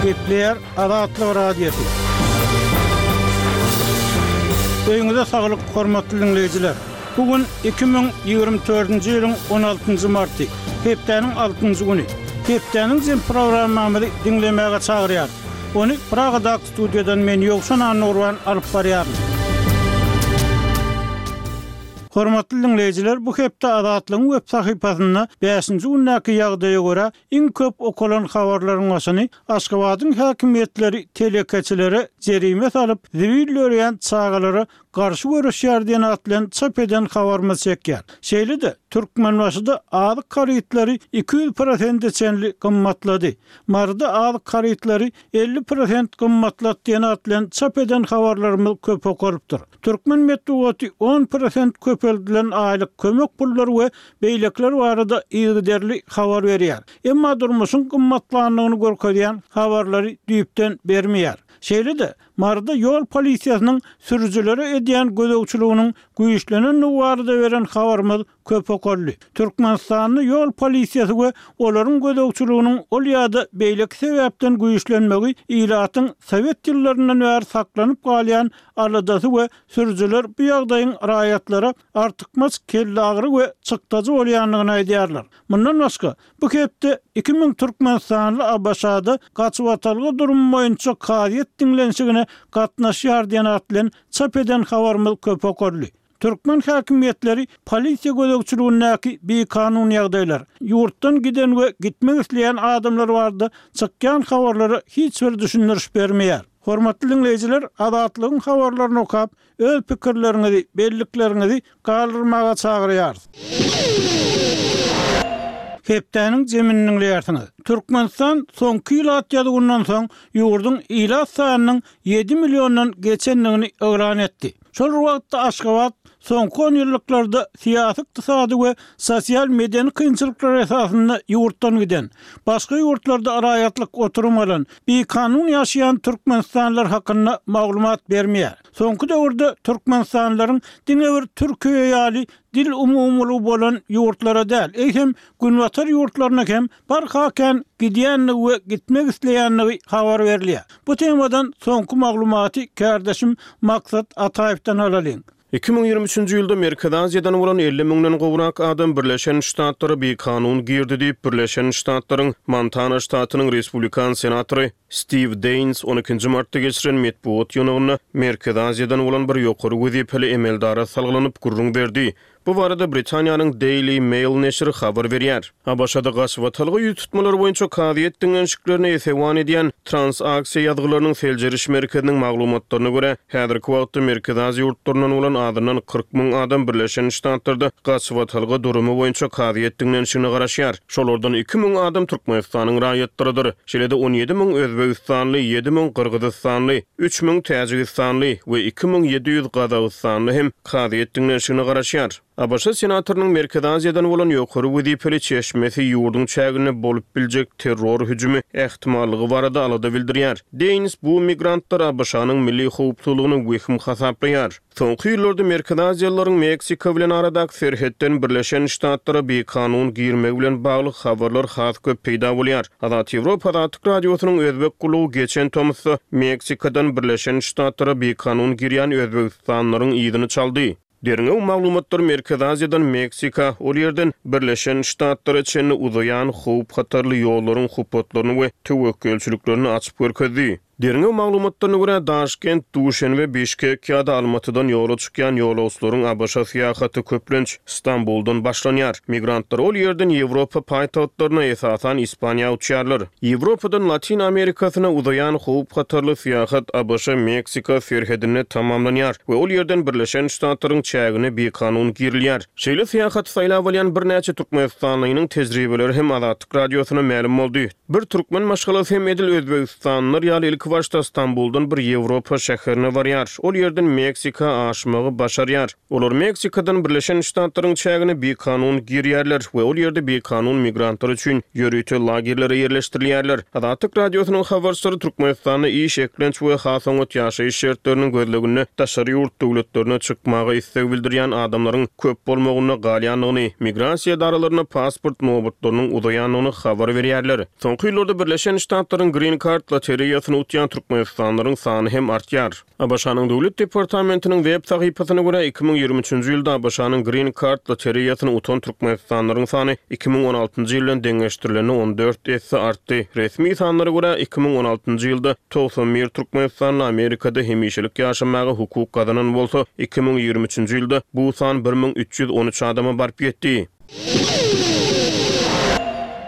Gepleýär Azatlyk Radiosy. Öýüňize saglyk, hormatly diňleýjiler! Bu gün 2024-nji ýylyň on altynjy marty, hepdäniň altynjy güni. Hepdäniň jem programmamyzy diňlemäge çagyrýarys. Ony Pragadaky studiýadan men Ýowşan Annagurban alyp barýaryn. Hormatly diňleýjiler, bu hepde Azatlygyň web sahypasynda bäşinji gündäki ýagdaýa görä, iň köp okalan habarlaryň başyny Aşgabadyň häkimiýetleri telekeçilere jerime salyp, zibil dörýän çagalara garşy göreşýär diýen at bilen çap eden habarymyz çekýär. Şeýle-de, Türkmenbaşyda azyk harytlary 200 prosente çenli gymmatlady. Maryda azyk harytlary 50 prosent gymmatlady diýen at bilen çap eden habarlarymyz köp okalypdyr. Türkmen metbugaty 10 prosent köpeldilen aýlyk kömek pullary we beýlekiler barada yzygiderli habar berýär. Emma durmuşyň gymmatlandygyny görkezýän habarlary düýpden bermeýär. Şeýle-de, Maryda ýol polisiýasynyň sürüjilere edýän gözegçiliginiň güýçlenendigi barada beren habarymyz köp okaldy. Türkmenistanda ýol polisiýasy we olaryň gözegçiliginiň ol ýa-da beýleki sebäpden güýçlenmegi ilatyň sowet ýyllaryndan bäri saklanyp galýan aladasy we sürüjiler bu ýagdaýyň raýatlara artykmaç kelleagyry we çykdajy bolýandygyny aýdýarlar. Mundan başga, bu hepde 2000 türkmenistanly ABŞ-da gaçybatalga durumy boýunça kazyýet diňlenişigine gatnaşýar diýen at bilen çap eden habarymyz köp okaldy. Türkmen häkimiýetleri polisiýa gözegçiligindäki bikanun ýagdaýlar, ýurtdan giden we gitmek isleýän adamlar barada çykýan habarlara hiç bir düşündiriş bermeýär. Hormatly diňleýjiler, Azatlygyň habarlaryny okap, öz pikirleriňizi, bellikleriňizi galdyrmaga çagyrýarys. Hepdäniň jemini diňleýärsiňiz. Türkmenistan soňky ilat ýazuwyndan soň ýurduň ilat sanynyň ýedi milliondan geçendigini yglan etdi. Şol bir wagtda Aşgabat soňky onýyllyklarda syýasy-ykdysady we sosial-medeni kynçylyklar esasynda ýurtdan giden, başga ýurtlarda raýatlyk oturum alan, bikanun ýaşaýan türkmenistanlylar hakynda maglumat bermeýär. Soňky döwürde türkmenistanlylaryň diňe bir Türkiýe ýaly dil umumylygy bolan ýurtlara däl, eýsem, günbatar ýurtlaryna hem barha kän gidýändigi we gitmek isleýändigi habar berilýär. Bu temadan soňky maglumaty kärdeşim Maksat Ataýewden alalyň. 2023-nji ýylda Merkezi Aziýadan bolan 50 müňden gowrak adam Birleşen Ştatlara bikanun girdi diýip, Birleşen Ştatlaryň Montana ştatynyň respublikan senatory Stiw Deýns on ikinji martda geçiren metbugat ýygnagynda Merkezi Aziýadan bolan bir ýokary wezipeli emeldara salgylanyp gürrüň berdi. Bu barada Britaniýanyň Daily Mail neşiri habar berýär. ABŞ-da gaçybatalga ýüz tutmalar boýunça kazyýet diňlenişiklerine esewan edýän Transaksiýa ýazgylarynyň seljeriş merkeziniň maglumatlaryna görä, häzirki wagtda Merkezi Aziýa ýurtlaryndan bolan azyndan 40 müň adam Birleşen Ştatlarda gaçybatalga durumy boýunça kazyýet diňlenişigine garaşýar. Şolardan 2000 adam Türkmenistanyň raýatlarydyr. Şeýle-de 17 müň özbegistanly, 7000 gyrgyzystanly, 3000 täjigistanly we 2700 gazagystanly hem kazyýet diňlenişigine garaşýar. ABŞ senatorynyň Merkezi Aziýadan bolan ýokary wezipeli çeşmesi ýurduň çäginde bolup biljek terror hüjümi ähtimallygy barada alada bildirýär. Deýns bu migrantlary ABŞ-nyň milli howpsuzlygyna wehim hasaplaýar. Soňky ýyllarda Merkezi Aziýalylaryň Meksika bilen aradaky serhetden Birleşen Ştatlara bikanun girmegi bilen bagly habarlar has köp peýda bolýar. Azat Ýewropa Azatlyk Radiosynyň Özbek gullugy geçen tomusda Meksikadan Birleşen Ştatlara bikanun girýän özbegistanlylaryň yzyny çaldy. Derňew maglumatlary Merkezi Aziýadan Meksika, ol ýerden Birleşen Ştatlara çenli uzaýan howp-hatarly ýollaryň hupbatlaryny we töwekgelçiliklerini açyp görkezdi. Derňew maglumatlaryna görä, Daşkent, Duşenbe, Bişkek ýa-da Almatydan ýola çykýan ýolagçylaryň ABŞ-a syýahaty köplenç Stambuldan başlanýar. Migrantlar ol ýerden Ýewropa paýtagtlaryna, esasan, Ispaniýa uçýarlar. Ýewropadan Latyn Amerikasyna uzaýan howp-hatarly syýahat ABŞ-Meksika serhedinde tamamlanýar we ol ýerden Birleşen Ştatlaryň çägine bikanun girilýär. Şeýle syýahaty saýlap alýan birnäçe türkmenistanlynyň tejribeleri hem Azatlyk Radiosyna mälim boldy. Bir türkmen maşgalasy hem edil özbegistanlylar ýaly ilki. ilkibaşda Stambuldan bir Ýewropa şäherine barýar. Ol ýerden Meksika aşmagy başarýar. Olar Meksikadan Birleşen Ştatlaryň çägine bikanun girýärler we ol ýerde bikanun migrantlar üçin ýörite lagerlere ýerleşdirilýärler. Azatlyk Radiosynyň habarçylary Türkmenistanda iş, eklenç we has oňat ýaşaýyş şertleriniň gözleginde daşary ýurt döwletlerine çykmaga isleg bildirýän adamlaryň köp bolmagynda galýandygyny, migrasiýa edaralarynda pasport nobatlarynyň uzaýandygyny habar berýärler. Soňky ýyllarda Birleşen Ştatlaryň Green Card lotereýasyny utýan türkmenistanlylaryň sany hem artýar. ABŞ-nyň Döwlet departamentiniň web sahypasyna görä, 2023-nji ýylda ABŞ-nyň Green Card lotereýasyny utan türkmenistanlylaryň sany 2016-njy ýyl bilen deňeşdirilende 14 esse artdy. Resmi sanlara görä, 2016-njy ýylda 91 türkmenistanly Amerikada hemişelik ýaşamaga hukuk gazanan bolsa, 2023-nji ýylda bu san 1313 adama baryp ýetdi.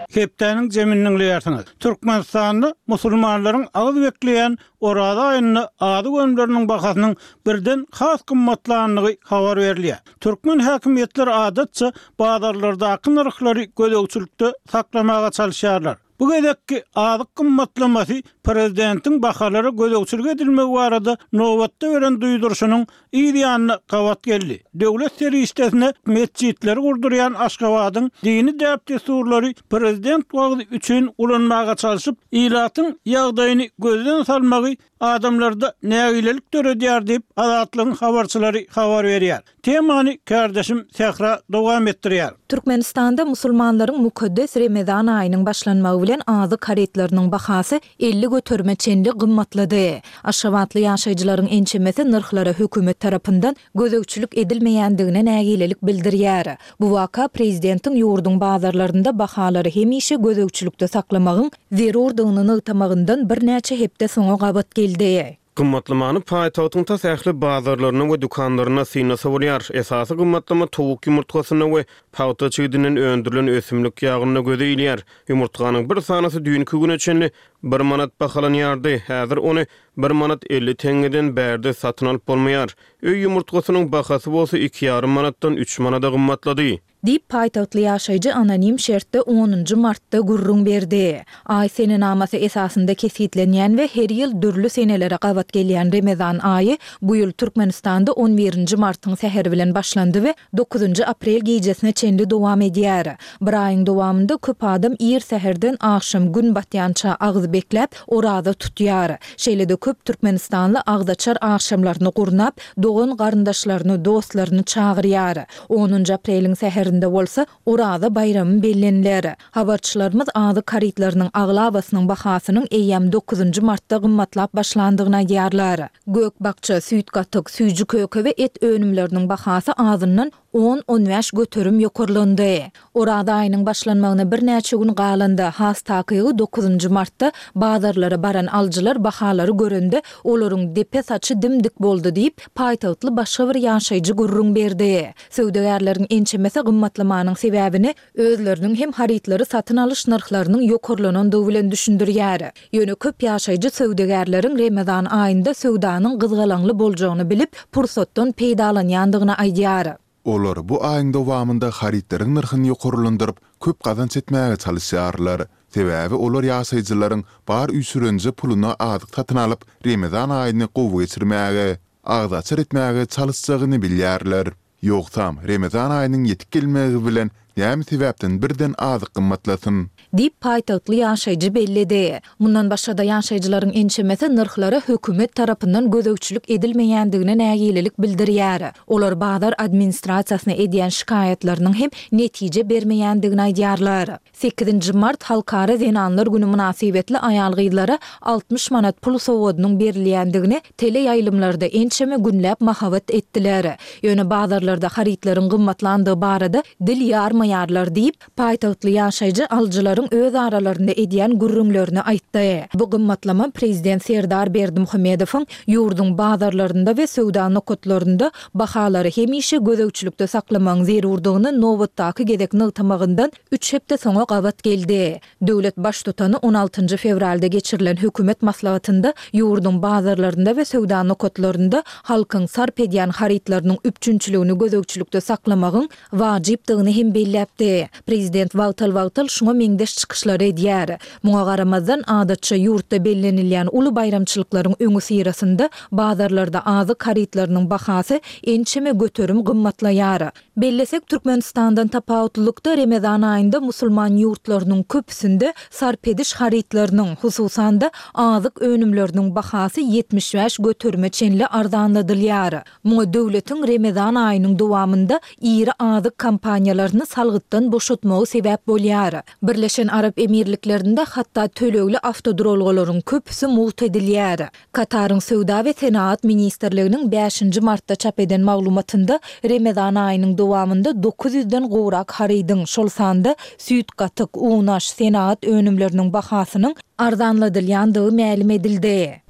Hepdäniň jemini diňleýärsiňiz. Türkmenistanda musulmanlaryň agyz bekleýän Oraza aýynda azyk önümleriniň bahasynyň birden has gymmatlandygy habar berilýär. Türkmen häkimiýetleri adatça bazarlardaky nyrhlary gözegçilikde saklamaga çalyşýarlar. Bu gezekki azyk gymmatlamasy prezidentiň bahalara gözegçilik edilmegi barada nobatda beren duýduryşynyň yz ýanyna gabat geldi. Döwlet serişdesine metjitleri gurdurýan Aşgabadyň dini däp-dessurlary prezident wagzy üçin ulanmaga çalşyp, ilatyň ýagdaýyny gözden salmagy adamlarda nägilelik döredýär diýip, Azatlygyň habarçylary habar berýär. Temany kärdeşim Sähra dowam etdirýär. Türkmenistanda musulmanlaryň mukaddes Remezan aýynyň başlanmagy bilen azyk harytlarynyň bahasy 50 göterime çenli gymmatlady. Aşgabatly ýaşaýjylaryň ençemesi nyrhlara hökümet tarapyndan gözegçilik edilmeýändigine nägilelik bildirýär. Bu waka prezidentiň ýurduň bazarlarynda bahalary hemişe gözegçilikde saklamagyň zerurdygyny nygtamagyndan birnäçe hepde soňa gabat geldi. Gymmatlamany paýtagtyň tas ähli bazarlarynda we dükanlarynda synlasa bolýar. Esasy gymmatlama towuk ýumurtgasynda we pagta çigidinden öndürilen ösümlik ýagynda göze ilýär. Ýumurtganyň bir sanysy düýnki güne çenli bir manat bahalanýardy, häzir ony bir manat 50 teňňeden bärde satyn alyp bolmaýar. Öý ýumurtgasynyň bahasy bolsa iki ýarym manatdan üç manada gymmatlady. Diýip, paýtagtly ýaşaýjy anonim şertde onunjy martda gürrüň berdi. Aý senenamasy esasynda kesgitlenýän we her ýyl dürli senelere gabat gelýän Remezan aýy bu ýyl Türkmenistanda on birinji martyň säheri bilen başlandy we dokuzynjy aprel gijesine çenli dowam edýär. Bir aýyň dowamynda köp adam ir säherden agşam gün batýança agyz bekläp, oraza tutýar. Şeýle-de köp türkmenistanly agzaçar agşamlaryny gurnap, dogan-garyndaşlaryny, dostlaryny çagyrýar. Onunjy apreliň säherinde bolsa Oraza baýramy belleniler. Habarçylarymyz azyk harytlarynyň aglabasynyň bahasynyň eýýäm dokuzynjy martda gymmatlap başlandygyny aýdýarlar. Gök-bakja, süýt-gatyk, süýji-köke we et önümleriniň bahasy azyndan on-on bäş göterim ýokarlandy. Oraza aýynyň başlanmagyna birnäçe gün galanda, has takygy dokuzynjy martda bazarlara baran alyjylar bahalary görende, olaryň depe saçy dim-dik boldy diýip, paýtagtly başga bir ýaşaýjy gürrüň berdi. Söwdagärleriň ençemesi gymmatlamanyň sebäbini özleriniň hem harytlary satyn alyş nyrhlarynyň ýokarlanandygy bilen düşündirýär. Ýöne köp ýaşaýjy söwdagärleriň Remezan aýynda söwdanyň gyzgalaňly boljagyny bilip, pursatdan peýdalanýandygyny aýdýar. Olar bu aýyň dowamynda harytlaryň nyrhyny ýokarlandyryp, köp gazanç etmäge çalyşýarlar. Sebäbi olar ýaşaýjylaryň bar üýşürenje puluna azyk satyn alyp, Remezan aýyny gowy geçirmäge, agzaçar etmäge çalyşjagyny bilýärler. Ýogsam, Remezan aýynyň ýetip gelmegi bilen näme sebäpden birden azyk gymmatlasyn? Diýip, paýtagtly ýaşaýjy belledi. Mundan başga-da, ýaşaýjylaryň ençemesi nyrhlara hökümet tarapyndan gözegçilik edilmeýändigine nägilelik bildirýär. Olar bazar administrasiýasyna edýän şikaýatlarynyň hem netije bermeýändigini aýdýarlar. Sekizinji mart Halkara zenanlar güni mynasybetli aýal-gyzlara 60 manat pul sowgadynyň berilýändigini teleýaýlymlarda ençeme günläp mahabat etdiler. Ýöne bazarlarda harytlaryň gymmatlandygy barada dil ýarmaýarlar diýip, paýtagtly ýaşaýjy alyjylaryň öz aralarynda edýän gürrüňlerini aýtdy. Bu gymmatlama prezident Serdar Berdimuhamedowyň ýurduň bazarlarynda we söwda nokatlarynda bahalary hemişe gözegçilikde saklamagyň zerurdygyny nobatdaky gezek nygtamagyndan üç hepde soňa gabat geldi. Döwlet Baştutany on altynjy fewralda geçirilen hökümet maslahatynda ýurduň bazarlarynda we söwda nokatlarynda halkyň sarp edýän harytlarynyň üpjünçiligini gözegçilikde saklamagyň wajypdygyny hem belläpdi. belläpdi. Prezident wagtal-wagtal şuňa meňzeş çykyşlary edýär. Muňa garamazdan, adatça ýurtda bellenilýän uly baýramçylyklaryň öňüsyrasynda bazarlarda azyk harytlarynyň bahasy ençeme göterim gymmatlaýar. Bellesek, Türkmenistandan tapawutlylykda, Remezan aýynda musulman ýurtlarynyň köpüsinde sarp ediş harytlarynyň, hususan-da, azyk önümleriniň bahasy 75 göterime çenli arzanladylýar. Muňa döwletiň Remezan aýynyň dowamynda iri azyk kompaniýalaryny salgytdan boşatmagy sebäp bolýar. Birleşen Arap Emirliklerinde hatda tölegli awtoduralgalaryň köpüsi mugt edilýär. Kataryň Söwda we senagat ministrliginiň bäşinji martda çap eden maglumatynda Remezan aýynyň dowamynda 900 ýüzden gowrak harydyň, şol sanda süýt-gatyk, unaş, senagat önümleriniň bahasynyň arzanladylýandygy mälim edildi.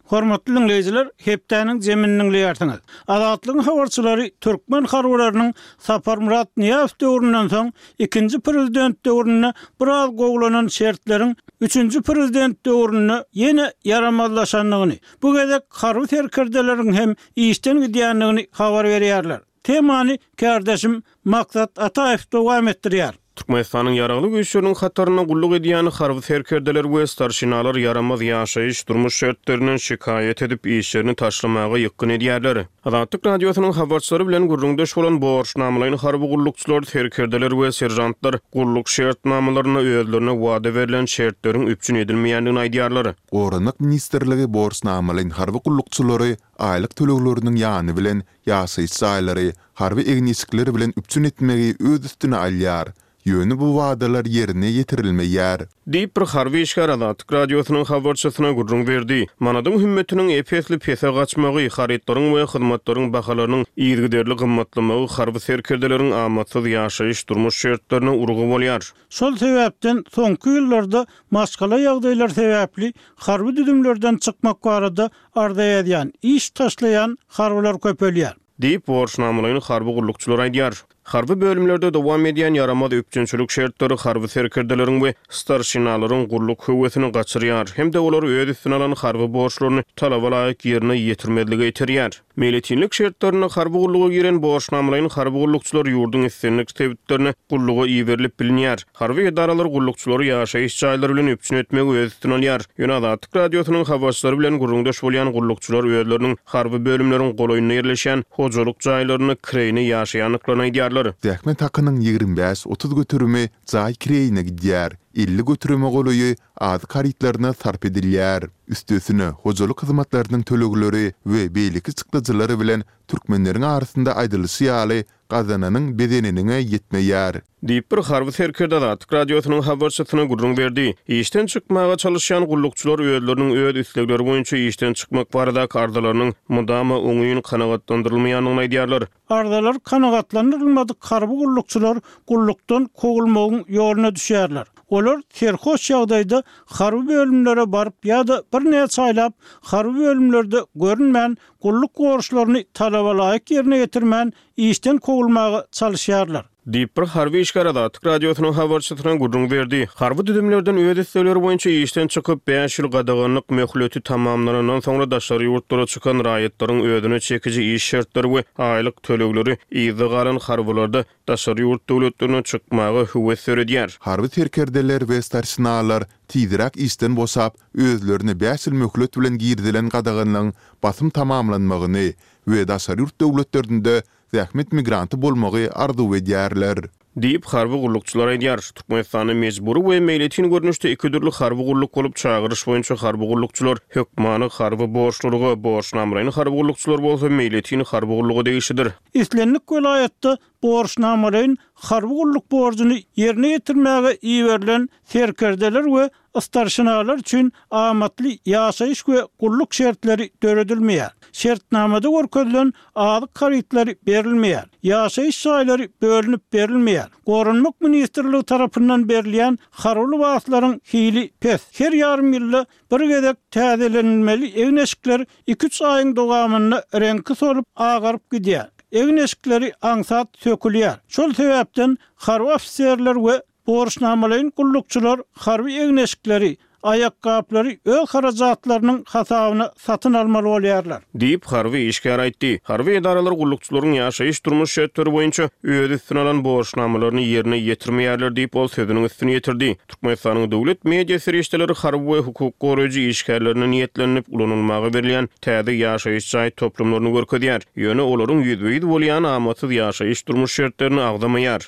Hormatly diňleýjiler, hepdäniň jemini diňleýärsiňiz. Azatlygyň habarçylary türkmen harbylarynyň Saparmyrat Nyýazow döwründen soň ikinji prezident döwründe biraz gowulanan şertleriň üçünji prezident döwründe ýene ýaramazlaşandygyny, bu gezek harby serkerdeleriň hem işden gidýändigini habar berýärler. Temany kärdeşim Maksat Ataýew dowam etdirýär. Türkmenistanyň Ýaragly Güýçleriniň hatarynda gulluk edýän harby serkerdeler we starşinalar ýaramaz ýaşaýyş, durmuş şertlerinden şikaýat edip, işlerini taşlamaga ýykgyn edýärler. Azatlyk Radiosynyň habarçylary bilen gürrüňdeş bolan borçnamalaýyn harby gullukçylar, serkerdeler we seržantlar gulluk şertnamalarynda özlerine wada berlen şertleriň üpjün edilmeýändigini aýdýarlar. Goranmak ministrligi borçnamalaýyn harby gullukçylary aýlyk tölegleriniň ýany bilen ýaşaýyş jaýlary, harby egin-eşikler bilen üpjün etmegi öz üstüne alýar. Ýöne bu wadalar ýerine ýetirilmeýär. Diýip, bir harby işgär Azatlyk Radiosynyň habarçysyna gürrüň berdi. Manadyň hümmetiniň ep-esli pese gaçmagy, harytlaryň we hyzmatlaryň bahalarynyň yzygiderli gymmatlamagy harby serkerdeleriň amatsyz ýaşaýyş-durmuş şertlerine urgy bolýar. Şol sebäpden soňky ýyllarda maşgala ýagdaýlary sebäpli harby düzümlerden çykmak barada arza ýazýan, iş taşlaýan harbylar köpelýär. Diýip, borçnamalaýyn harby gullukçylar aýdýar. Harby bölümlerde dowam edýän ýaramaz üpjünçilik şertleri harby serkerdeleriň we starşinalaryň gulluk höwesini gaçyrýar hem-de olary öz üstüne alan harby borçlaryny talaba laýyk ýerine ýetirmezlige iterýär. Meýletinlik şertlerinde harby gulluga giren borçnamalaýyn harby gullukçylar ýurduň islendik sebitlerine gulluga iberilip bilinýär. Harby edaralar gullukçylary ýaşaýyş jaýlary bilen üpjün etmegi öz üstüne alýar. Ýöne Azatlyk Radiosynyň habarçylary bilen gürrüňdeş bolýan gullukçylar özleriniň harby bölümleriň golaýynda ýerleşýän hojalyk jaýlarynda kireýine ýaşaýandyklaryny aýdýarlar. Zähmet hakynyň 25, 30 göterimi jaý kireýine gidýär, 50 göterime golaýy azyk harytlaryna sarp edilýär. Üstesine, hojalyk hyzmatlarynyň tölegleri we beýleki çykdajylary bilen türkmenleriň arasynda aýdylyşy ýaly, gazananyň bezeniniňe ýetmeýär. Diýip, bir harby serkerde Azatlyk Radiosynyň habarçysyna gürrüň berdi. Işden çykmaga çalyşýan gullukçylar özleriniň öz islegleri boýunça işden çykmak baradaky arzalarynyň mydama oňyn kanagatlandyrylmaýandygyny aýdýarlar. Arzalar kanagatlandyrylmadyk harby gullukçylar gullukdan kowulmagyň ýoluna düşýärler. Olar serhoş ýagdaýda harby bölümlere baryp ýa-da birnäçe aýlap harby bölümlerde görünmän, gulluk borçlaryny talaba laýyk ýerine ýetirmän işden kowulmaga çalyşýarlar. Diýip, bir harby işgär Azatlyk Radiosynyň habarçysyna gürrüň berdi. Harby düzümlerden öz islegleri boýunça işden çykyp, bäş ýyl gadaganlyk möhleti tamamlanandan soňra daşary ýurtlara çykan raýatlaryň özüne çekiji iş şertleri we aýlyk tölegleri yzda galan harbylarda daşary ýurt döwletlerine çykmaga höwes döredýär. Harby serkerdeler we starşinalar tizräk işden boşap, özlerine bäş ýyl möhlet bilen girizilen gadaganlygyň basym tamamlanmagyny we daşary ýurt döwletlerinde zähmet migranty bolmagy arzuw edýärler. Diýip, harby gullukçylar aýdýar. Türkmenistanda mejbury we meýletin görnüşde iki dürli harby gulluk bolup, çagyryş boýunça harby gullukçylar hökmany harby borçlulyga, borçnamalaýyn harby gullukçylar bolsa meýletin harby gulluga degişlidir. Islendik welaýatda borçnamalaýyn harby gulluk borjuny ýerine ýetirmäge iberilen serkerdeler we Starşinalar üçin amatly ýaşaýyş we gulluk şertleri döredilmeýär. Şertnamada görkezilen azyk harytlary berilmeýär. Ýaşaýyş jaýlary bölünip berilmeýär. Goranmak ministrligi tarapyndan berilýän harby lybaslaryň hili pes. Her ýarym ýylda bir gezek täzelenilmeli egin-eşikler iki-üç aýyň dowamynda reňki solup, agaryp gidýär. Egin-eşikleri aňsat sökülýär. Şol sebäpden harby ofiserler we Borçnamalaýyn gullukçylar harby egin-eşikleri, Aýakgaplary öz harajatlarynyň hasabyna satyn almaly bolýarlar. Diýip, harby işgär aýtdy. Harby edaralar gullukçylaryň ýaşaýyş-durmuş şertleri boýunça öz üstüne alan borçnamalaryny ýerine ýetirmeýärler diýip, ol sözüniň üstüni ýetirdi. Türkmenistanyň döwlet media serişdeleri harby we hukuk goraýjy işgärlerine niýetlenilip ulanylmaga berilýän täze ýaşaýyş jaý toplumlaryny görkezýär. Ýöne olaryň ýüzbe-ýüz bolýan amatsyz ýaşaýyş-durmuş şertlerini agzamaýar.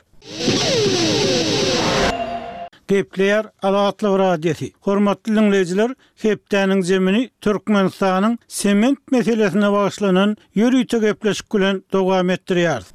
Gepleýär Azatlyk Radiosy. Hormatly diňleýjiler, hepdäniň jemini Türkmenistanyň sement meselesine bagyşlanan ýörite gepleşik bilen dowam etdirýäris.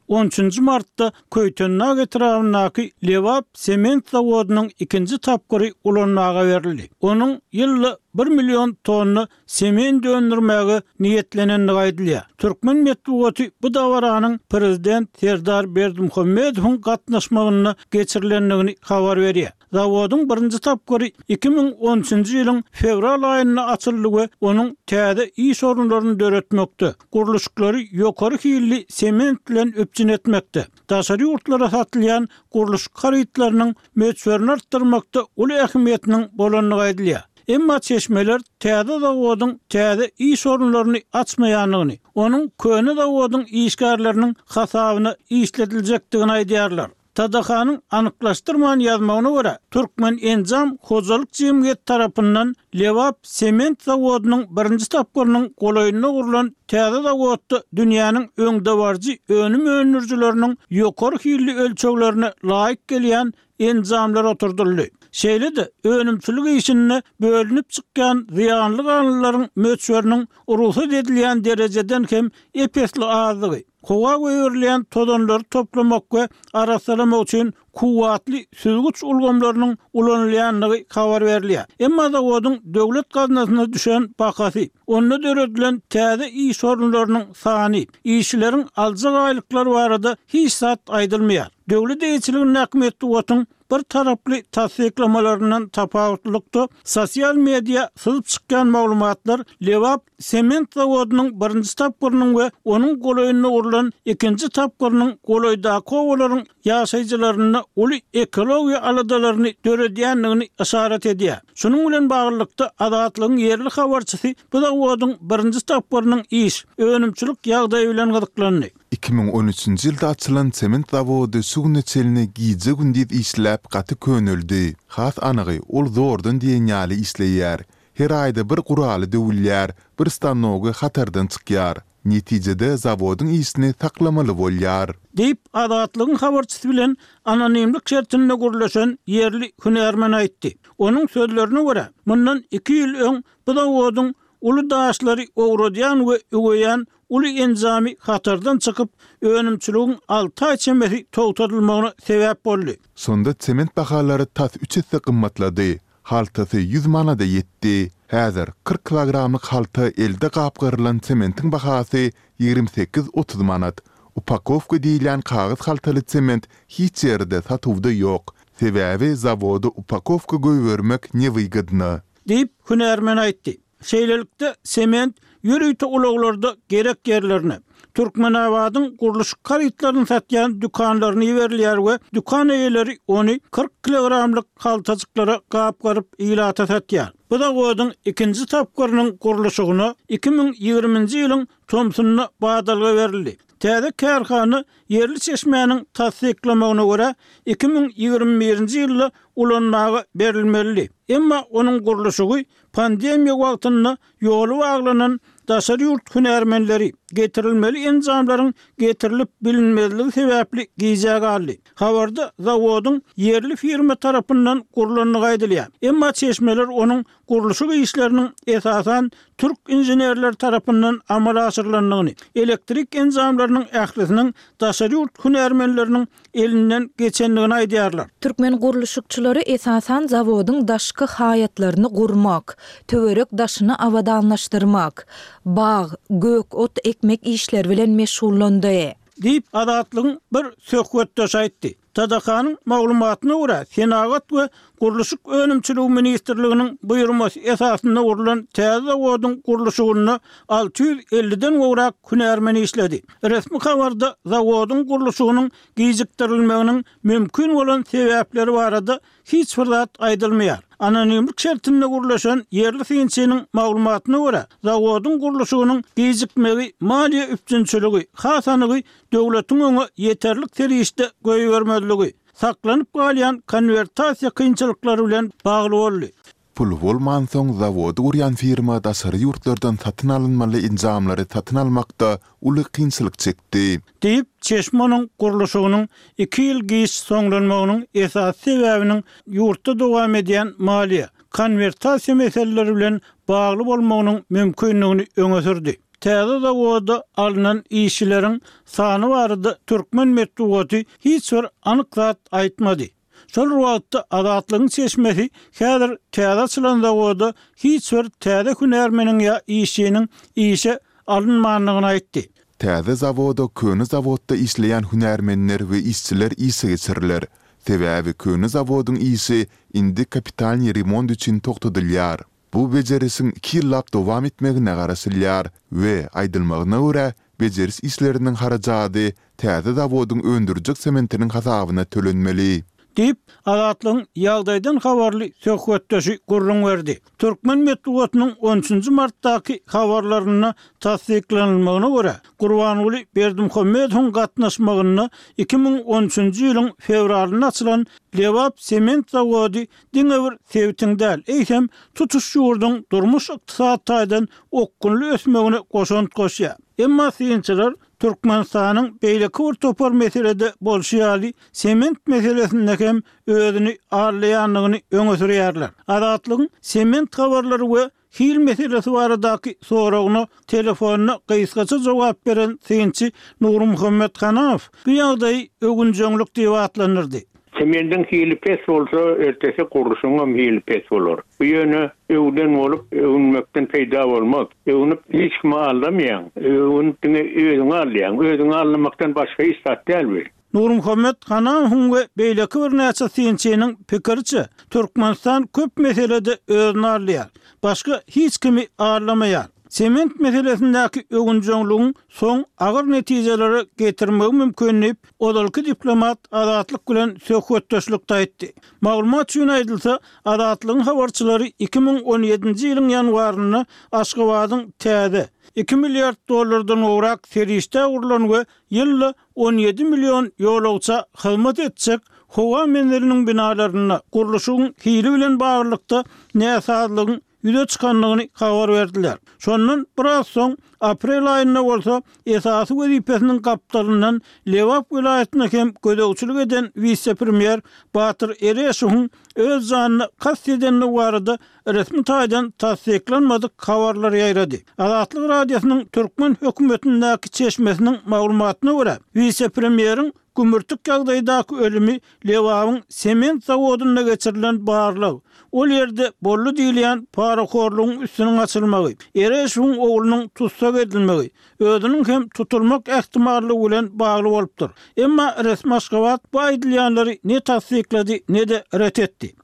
On üçünji martda Köýtendag etrabyndaky Lebap sement zawodynyň ikinji tapgyry ulanmaga berildi. Onuň ýylda bir million tonna sement öndürmäge niýetlenendigi aýdylýar. Türkmen metbugaty bu dabaranyň prezident Serdar Berdimuhamedowyň gatnaşmagynda geçirilendigini habar berýär. Zawodyň birinji tapgyry 2013-nji ýylyň fewral aýynda açyldy we onuň täze iş orunlaryny döretmekde, gurluşyklary ýokary hilli sement bilen üpjün etmekde, daşary ýurtlara satylýan gurluşyk harytlarynyň möçberini artdyrmakda uly ähmiýetiniň bolandygy aýdylýar. Emma çeşmeler täze zawodyň täze iş orunlaryny açmaýandygyny, onuň köne zawodyň işgärleriniň hasabyna işlediljekdigini aýdýarlar. TDH-nyň anyklaşdyrman ýazmagyna görä, Türkmenenjam hojalyk jemgyýeti tarapyndan Lebap sement zawodynyň birinji tapgyrynyň golaýynda gurlan täze zawodda dünýäniň öňdebaryjy önüm öndürijileriniň ýokary hilli ölçeglerine laýyk gelýän enjamlar oturdyldy. Şeýle-de, önümçilik işinde bölünip çykýan zyýanly galyndylaryň möçberiniň rugsat edilýän derejeden hem ep-esli azdygy, howa goýberilýän tozanlary toplamak we arassalamak üçin kuwwatly süzgüç ulgamlarynyň ulanylýandygy habar berilýär. Emma zawodyň döwlet gaznasyna düşen bahasy, onda döredilen täze iş orunlarynyň sany, işçileriň aljak aýlyklary barada hiç zat aýdylmaýar. Döwlet eýeçiligindäki metbugatyň bir taraply tassyklamalaryndan tapawutlylykda, sosial media syzyp çykýan maglumatlar Lebap sement zawodynyň birinji tapgyrynyň we onuň golaýynda gurlan ikinji tapgyrynyň golaýdaky obalaryň ýaşaýjylarynda uly ekologiýa aladalaryny döredýändigini yşarat edýär. Şunuň bilen baglylykda, Azatlygyň ýerli habarçysy bu zawodyň birinji tapgyrynyň iş, önümçilik ýagdaýy bilen gyzyklandy. 2013-nji ýylda açylan sement zawody şu güne çenli gije-gündiz işläp gaty köneldi. Has anygy, ol zordan diýen ýaly işleýär. Her aýda bir guraly döwülýär, bir stanogy hatardan çykýar. Netijede zawodyň işini saklamaly bolýar. Diýip, Azatlygyň habarçysy bilen anonimlik şertinde gürleşen ýerli hünärmen aýtdy. Onuň sözlerine görä, mundan iki ýyl öň bu zawodyň uly daşlary owradýan we üweýän uly enjamy hatardan çykyp, önümçiligiň alty aý çemesi togtadylmagyna sebäp boldy. Şonda sement bahalary tas üç esse gymmatlady. Haltasy ýüz manada ýetdi. Häzir 40 kilogramlyk halta elde gapgarylan sementiň bahasy 28-30 manat. Upakowka diýilýän kagyz haltaly sement hiç ýerde satuwda ýok. Sebäbi zawoda upakowka goýbermek newygodno. Diýip, hünärmen aýtdy. Şeýlelikde, sement ýörite ulaglarda gerek ýerlerine, Türkmenabadyň gurluşyk harytlaryny satýan dükanlaryna iberilýär we dükan eýeleri ony 40 kilogramlyk haltajyklara gapgaryp ilata satýar. Bu zawodyň ikinji tapgyrynyň gurluşygyna 2020-nji ýylyň tomsunda badalga berildi. Täze kärhana ýerli çeşmäniň tassyklamagyna görä, 2021-nji ýylda ulanmaga berilmelidi. Emma onuň gurluşygy Pandemiýa wagtynda ýoly baglanan daşary ýurt hünärmenleri, getirilmeli enjamlaryň getirilip bilinmezligi sebäpli gijä galdy. Habarda zawodyň ýerli firma tarapyndan gurlandygy aýdylýar. Emma çeşmeler onuň gurluşyk işleriniň esasan türk inženerleri tarapyndan amala aşyrylandygyny, elektrik enjamlarynyň ählisiniň daşary ýurt hünärmenleriniň elinden geçendigini aýdýarlar. Türkmen gurluşykçylary esasan zawodyň daşky haýatlaryny gurmak, töwerek daşyny abadanlaşdyrmak, bag, gök ot ekmek işleri bilen meşgullandy. Diýip, Azatlygyň bir söhbetdeşi aýtdy. TDH-nyň maglumatyna görä, Senagat we gurluşyk önümçiligi ministrliginiň buýurmasy esasynda gurlan täze zawodyň gurluşygynda 650-den gowrak hünärmen işledi. Resmi habarda zawodyň gurluşygynyň gijikdirilmeginiň mümkin bolan sebäpleri barada hiç bir zat aýdylmaýar. Anonimlik şertinde gürleşen ýerli synçynyň maglumatyna görä, zawodyň gurluşygynyň gijikmegi maliýe üpjünçiligi, has anygy döwletiň öňe ýeterlik serişde goýbermezligi, saklanyp galýan konwertasiýa kynçylyklary bilen bagly boldy. Pul bolmansoň, zawody gurýan firma daşary ýurtlardan satyn alynmaly enjamlary satyn almakda uly kynçylyk çekdi. Diýip, çeşme onuň gurluşygynyň iki ýyl giç soňlanmagynyň esasy sebäbiniň ýurtda dowam edýän maliýe, konwertasiýa meseleleri bilen bagly bolmagynyň mümkindigini öňe sürdi. Täze zawoda alnan işçileriň sany barada türkmen metbugaty hiç bir anyk zat aýtmady. Şol bir wagtda, Azatlygyň çeşmesi häzir täze açylan zawoda hiç bir täze hünärmeniň ýa işçiniň işe alynmandygyny aýtdy. Täze zawoda köne zawodda işleýän hünärmenler we işçiler işe geçiriler. Sebäbi köne zawodyň işi indi kapitalnyý remont üçin togtadylýar. Bu bejerişiň iki ýyllap dowam etmegine garaşylýar we, aýdylmagyna görä, bejeriş işleriniň harajady täze zawodyň öndürjek sementiniň hasabyna tölenmeli. Diýip, Azatlygyň ýagdaýdan habarly söhbetdeşi gürrüň berdi. Türkmen metbugatynyň on üçünji martdaky habarlarynda tassyklanylmagyna görä, Gurbanguly Berdimuhamedowyň gatnaşmagynda 2013-nji ýylyň fewralynda açylan Lebap sement zawody diňe bir sebitiň däl, eýsem, tutuş ýurduň durmuş-ykdysady taýdan okgunly ösmegine goşant goşýar. Emma synçylar Türkmenistanyň beýleki bir topar meselede bolşy ýaly, sement meselesinde hem özüni aldaýandygyny öňe sürýärler. Azatlygyň sement habarlary we Hil meselesi baradaky soragyna telefonda gysgaça jogap beren synçy Nurmuhammet Hanamow bu ýagdaýy öwünjeňlik diýip atlandyrdy. Semendiň hili pes bolsa, ertesi gurluşygyňam hili pes bolar. Bu ýöne öwden bolup, öwünmekden peýda bolmaz. Öwünip hiç kimi aldamaýaň. Öwünip diňe özüňi aldaýaň. Özüňi aldamakdan başga hiç zat däl bu. Nurmuhammet Hanamowyň we beýleki birnäçe synçynyň pikiriçe, Türkmenistan köp meselede özüni aldaýar, başga hiç kimi aldamaýar. Sement meselesindäki öwünjeňligiň soň agyr netijelere getirmegi mümkin diýip, ozalky diplomat Azatlyk bilen söhbetdeşlikde aýtdy. Maglumat üçin aýdylsa, Azatlygyň habarçylary 2017-nji ýylyň ýanwarynda Aşgabadyň täze, iki milliard dollardan gowrak serişdä gurlan we ýylda 17 million ýolagça hyzmat etjek howa menziliniň binalarynda gurluşygyň hili bilen baglylykda näsazlygyň ýüze çykandygyny habar berdiler. Şondan biraz soň, aprel aýynda bolsa, esasy wezipesiniň gapdalyndan Lebap welaýatyna hem gözegçilik eden wise-premýer Batyr Ereşowyň öz janyna kast edendigi barada resmi taýdan tassyklanmadyk habarlar ýaýrady. Azatlyk Radiosynyň türkmen hökümetindäki çeşmesiniň maglumatyna görä, wise-premýeriň gümürtik ýagdaýdaky ölümi Lebabyň sement zawodynda geçirilen barlag, ol ýerde boldy diýilýän parahorlugyň üstüniň açylmagy, Ereşowyň oglunyň tussag edilmegi, özüniň hem tutulmak ähtimallygy bilen bagly bolupdyr. Emma resmi Aşgabat bu aýdylýanlary ne tassyklady, ne-de ret etdi.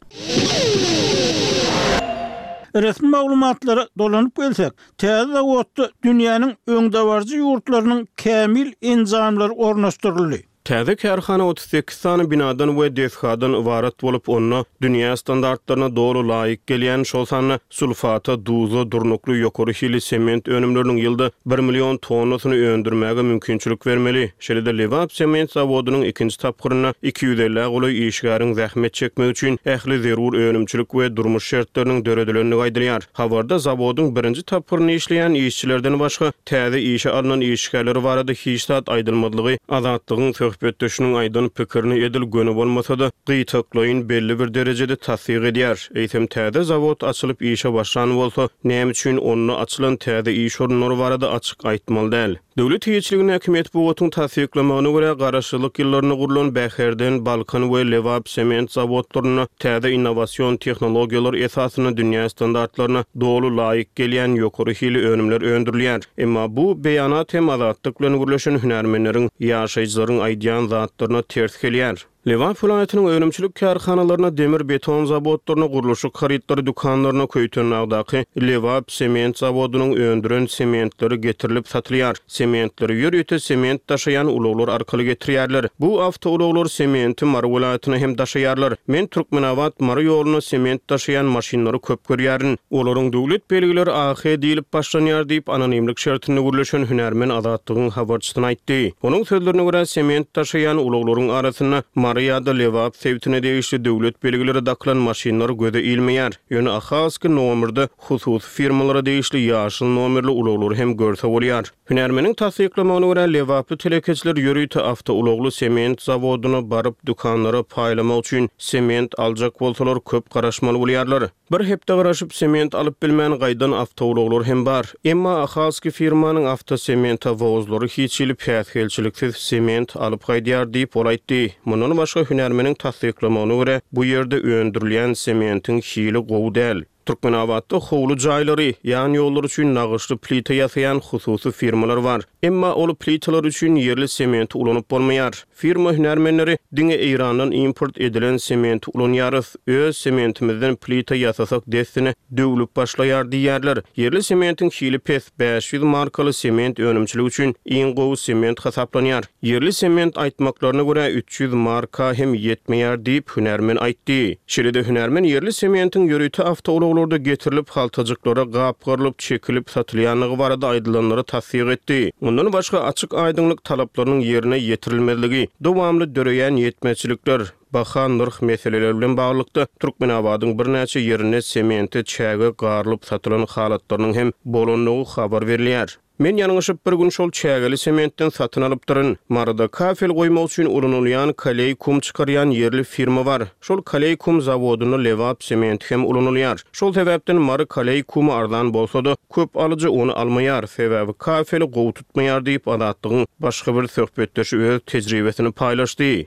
Resmi maglumatlara dolanyp gelsek, täze zawodda dünýäniň öňdebaryjy ýurtlarynyň kämil enjamlary ornaşdyryldy. Täze kärhana 38 sany binadan we desgadan ybarat bolup, onda dünýä standartlaryna doly laýyk gelýän, şol sanda sulfata, duza durnukly ýokary hilli sement önümleriniň ýylda bir million tonnasyny öndürmäge mümkinçilik bermeli. Şeýle-de Lebap sement zawodynyň ikinji tapgyrynda 250-ä golaý işgäriň zähmet çekmegi üçin ähli zerur önümçilik we durmuş şertleriniň döredilendigi aýdylýar. Habarda zawodyň birinji tapgyrynda işleýän işçilerden başga, täze işe alnan işgärler barada hiç zat aýdylmazlygy Azatlygyň söhbetdeşiniň aýdan pikirini edil göni bolmasa-da, gytaklaýyn belli bir derejede tassyk edýär. Eýsem, täze zawod açylyp işe başlan bolsa, näme üçin onda açylan täze iş orunlary barada açyk aýtmaly däl? Döwlet eýeçiligindäki metbugatyň tassyklamagyna görä, garaşsyzlyk ýyllarynda gurlan Bäherden, Balkan we Lebap sement zawodlarynda täze innowasion tehnologiýalar esasynda dünýä standartlaryna doly laýyk gelýän ýokary hili önümler öndürilýär. Emma bu beýanat hem Azatlyk bilen gürleşen hünärmenleriň, ýaşaýjylaryň aýdýan zatlaryna ters gelýär. Lebap welaýatynyň önümçilik kärhanalaryna, demir-beton zawodlaryna, gurluşyk harytlary dükanlaryna Köýtendagdaky Lebap sement zawodynyň öndüren sementleri getirilip satylýar. Sementleri ýörite sement daşaýan ulaglar arkaly getirýärler. Bu awtoulaglar sementi Mary welaýatyna hem daşaýarlar. Men Türkmenabat, Mary ýolunda sement daşaýan maşynlary köp görýärin. Olaryň döwlet belgileri AH diýlip başlanýar diýip, anonimlik şertinde gürleşen hünärmen Azatlygyň habarçysyna aýtdy. Onuň sözlerine görä, sement daşaýan ulaglaryň arasynda Mary ýa-da Lebap sebitine degişli döwlet belgileri dakylan maşynlar göze ilmeýär. Ýöne Ahalski nomerde hususy firmalara degişli ýaşyl nomerli ulaglary hem görse bolýar. Hünärmeniň tassyklamagyna görä, lebaply telekeçiler ýörite awtoulagly sement zawodyna baryp, dükanlara paýlamak üçin sement aljak bolsalar, köp garaşmaly bolýarlar. Bir hepde garaşyp sement alyp bilmän gaýdan awtoulaglar hem bar. Emma Ahalski firmanyň awtosementowozlary hiç hili päsgelçiliksiz sement alyp gaýdýar diýip, ol aýtdy. Mundan başga, hünärmeniň tassyklamagyna görä, bu ýerde öndürilýän sementiň hili gowy däl. Türkmenabatda howly jaýlary, ýan ýollar üçin nagyşly plita ýasaýan hususy firmalar bar. Emma ol plitalar üçin ýerli sementi ulanyp bolmaýar. Firma hünärmenleri diňe Eýrandan import edilen sementi ulanýarys, öz sementimizden plita ýasasak dessine döwlüp başlaýar diýýärler. Ýerli sementiň hili pes, 500 markaly sement önümçilik üçin iň gowy sement hasaplanýar. Ýerli sement aýtmaklaryna görä 300 marka hem ýetmeýär diýip, hünärmen aýtdy. Şeýle-de hünärmen ýerli sementiň ýörite awtoulaglarda getirilip, haltajyklara gapgarylyp, çekilip satylýandygy barada aýdylanlary tassyk etdi. Mundan başga, açyk-aýdyňlyk talaplarynyň ýerine ýetirilmezligi, dowamly döreýän ýetmezçilikler, baha, nyrh meseleleri bilen baglylykda, Türkmenabadyň birnäçe ýerinde semente çäge garylyp satylan halatlarynyň hem bolandygy habar berilýär. Men ýalňyşyp bir gün şol çägeli sementden satyn alypdyryn. Maryda kafel goýmak üçin ulanylýan kaleý kum çykarýan ýerli firma bar. Şol kaleý kum zawodynda Lebap sementi hem ulanylýar. Şol sebäpden Mary kaleý kumy arzan bolsa-da, köp alyjy ony almaýar, sebäbi kafeli gowy tutmaýar diýip, Azatlygyň başga bir söhbetdeşi öz tejribesini paýlaşdy.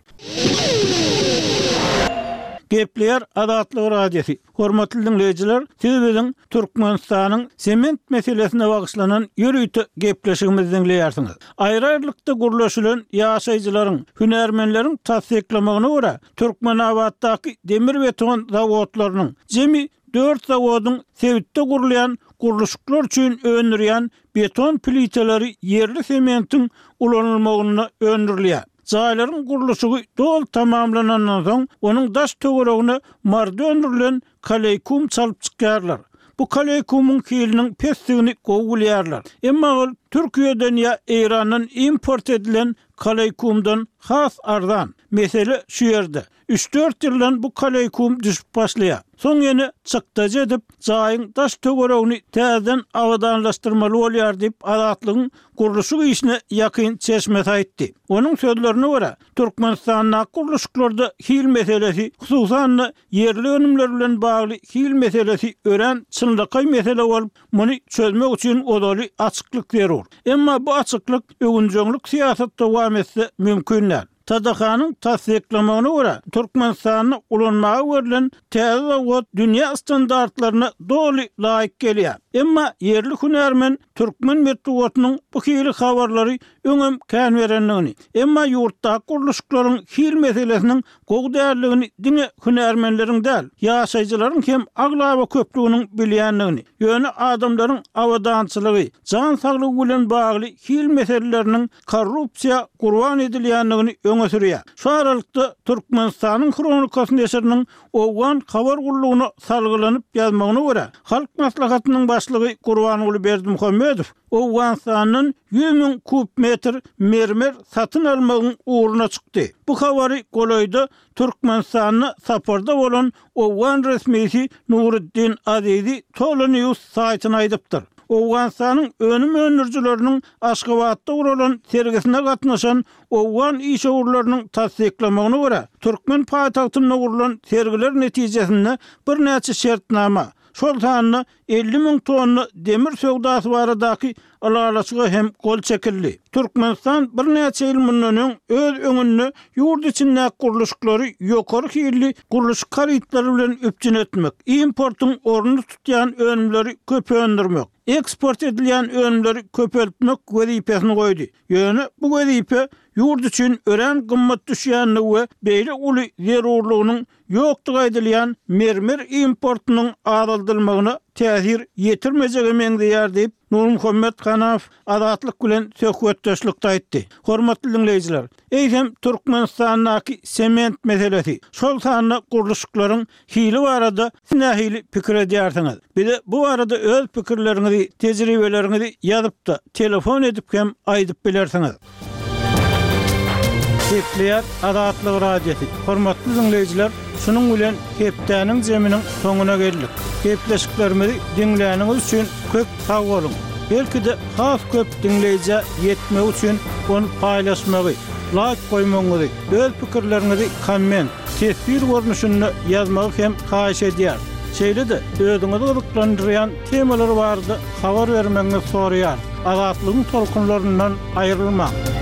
Gepleýär Azatlyk Radiosy. Hormatly diňleýjiler, siz biziň Türkmenistanyň sement meselesine bagyşlanan ýörite gepleşigimizi diňleýärsiňiz. Aýry-aýrylykda gürleşilen ýaşaýjylaryň, hünärmenleriň tassyklamagyna görä, Türkmenabatdaky demir-beton zawodlarynyň, jemi dört zawodyň sebitde gurulýan gurluşyklar üçin öndürýän beton pliteleri ýerli sementiň ulanylmagynda öndürilýär. Jaýlaryň gurluşygy doly tamamlanandan soň, onuň daş-töweregine Maryda öndürilen kaleýkum çalyp çykýarlar. Bu kaleýkumyň hiliniň pesdigini gowy bilýärler. Emma ol Türkiýeden ýa Eýrandan import edilen kaleýkumdan has arzan. Mesele şu ýerde. Üç-dört ýyldan bu kaleýkum düşüp başlaýar. Soň ýene çykdajy edip, jaýyň daş-töweregini täzeden abadanlaşdyrmaly bolýar diýip, Azatlygyň gurluşyk işine ýakyn çeşmesi aýtdy. Onuň sözlerine görä, Türkmenistandaky gurluşyklarda hil meselesi, hususan-da, ýerli önümler bilen bagly hil meselesi örän çynlakaý mesele bolup, muny çözmek üçin ozaly açyklyk zerur. Emma bu açyklyk öwünjeňlik syýasat dowam etse mümkin däl. TDH-nyň tassyklamagyna görä, Türkmenistanda ulanmaga berlen täze zawod dünýä standartlaryna doly laýyk gelýär. Emma ýerli hünärmen türkmen metbugatynyň bu hili habarlary öňem kän berendigini, emma ýurtdaky gurluşyklaryň hil meselesiniň gowy däldigini diňe hünärmenleriň däl, ýaşaýjylaryň hem aglaba köplüginiň bilýändigini, ýöne adamlaryň abadançylygy, jan saglygy bilen bagly hil meseleleriniň korrupsiýa gurban edilýändigini öňe sürýär. Şu aralykda, Türkmenistanyň Hronikasy neşiriniň Owgan habar gullugyna salgylanyp ýazmagyna görä, Halk Maslahatynyň başlygy Gurbanguly Berdimuhamedow Owganystandan 100 000 kub metr mermer satyn almagyň ugruna çykdy. Bu habary golaýda Türkmenistanda saparda bolan owgan resmisi Nuruddin Azizi TOLOnews saýtyna aýdypdyr. Owganystanyň önüm öndürijileriniň Aşgabatda guralan sergisine gatnaşan owgan işewürleriniň tassyklamagyna görä, türkmen paýtagtynda gurlan sergiler netijesinde birnäçe şertnama, şol sanda 50 000 tonna demir söwdasy baradaky Ylalaşyga hem gol çekildi. Türkmenistan birnäçe ýyl mundan öň öz öňünde ýurt içindäki gurluşyklary ýokary hilli gurluşyk harytlary bilen üpjün etmek, importyň ornuny tutýan önümleri köp öndürmek, eksport edilýän önümleri köpeltmek wezipesini goýdy. Ýöne bu wezipe ýurt üçin örän gymmat düşýändigi we beýle uly zerurlygynyň ýokdugy aýdylýan mermer importynyň azaldylmagyna täsir ýetirmejege meňzeýär diýip, Nurmuhammet Hanaw Azatlyk bilen söhbetdeşlikde aýtdy. Hormatly diňleýjiler, eýsem Türkmenistandaky sement meselesi, şol sanda gurluşyklaryň hili barada siz nähili pikir edýärsiňiz? Bize bu barada öz pikirleriňizi, tejribeleriňizi ýazyp-da, telefon edip hem aýdyp bilersiňiz. Gepleýär Azatlyk Radiosy. Hormatly diňleýjiler, şunuň bilen hepdäniň zeminiň soňuna geldik. Gepleşiklerimizi diňläniňiz üçin köp sag boluň! Belki-de has köp diňleýjä ýetmegi üçin ony paýlaşmagy, laýk goýmagyňyzy, öz pikirleriňizi komment, teswir görnüşinde ýazmagy hem haýyş edýäris. Şeýle-de özüňizi gyzyklandyrýan temalar barada habar bermegiňizi soraýarys. Azatlygyň tolkunlaryndan aýrylmaň!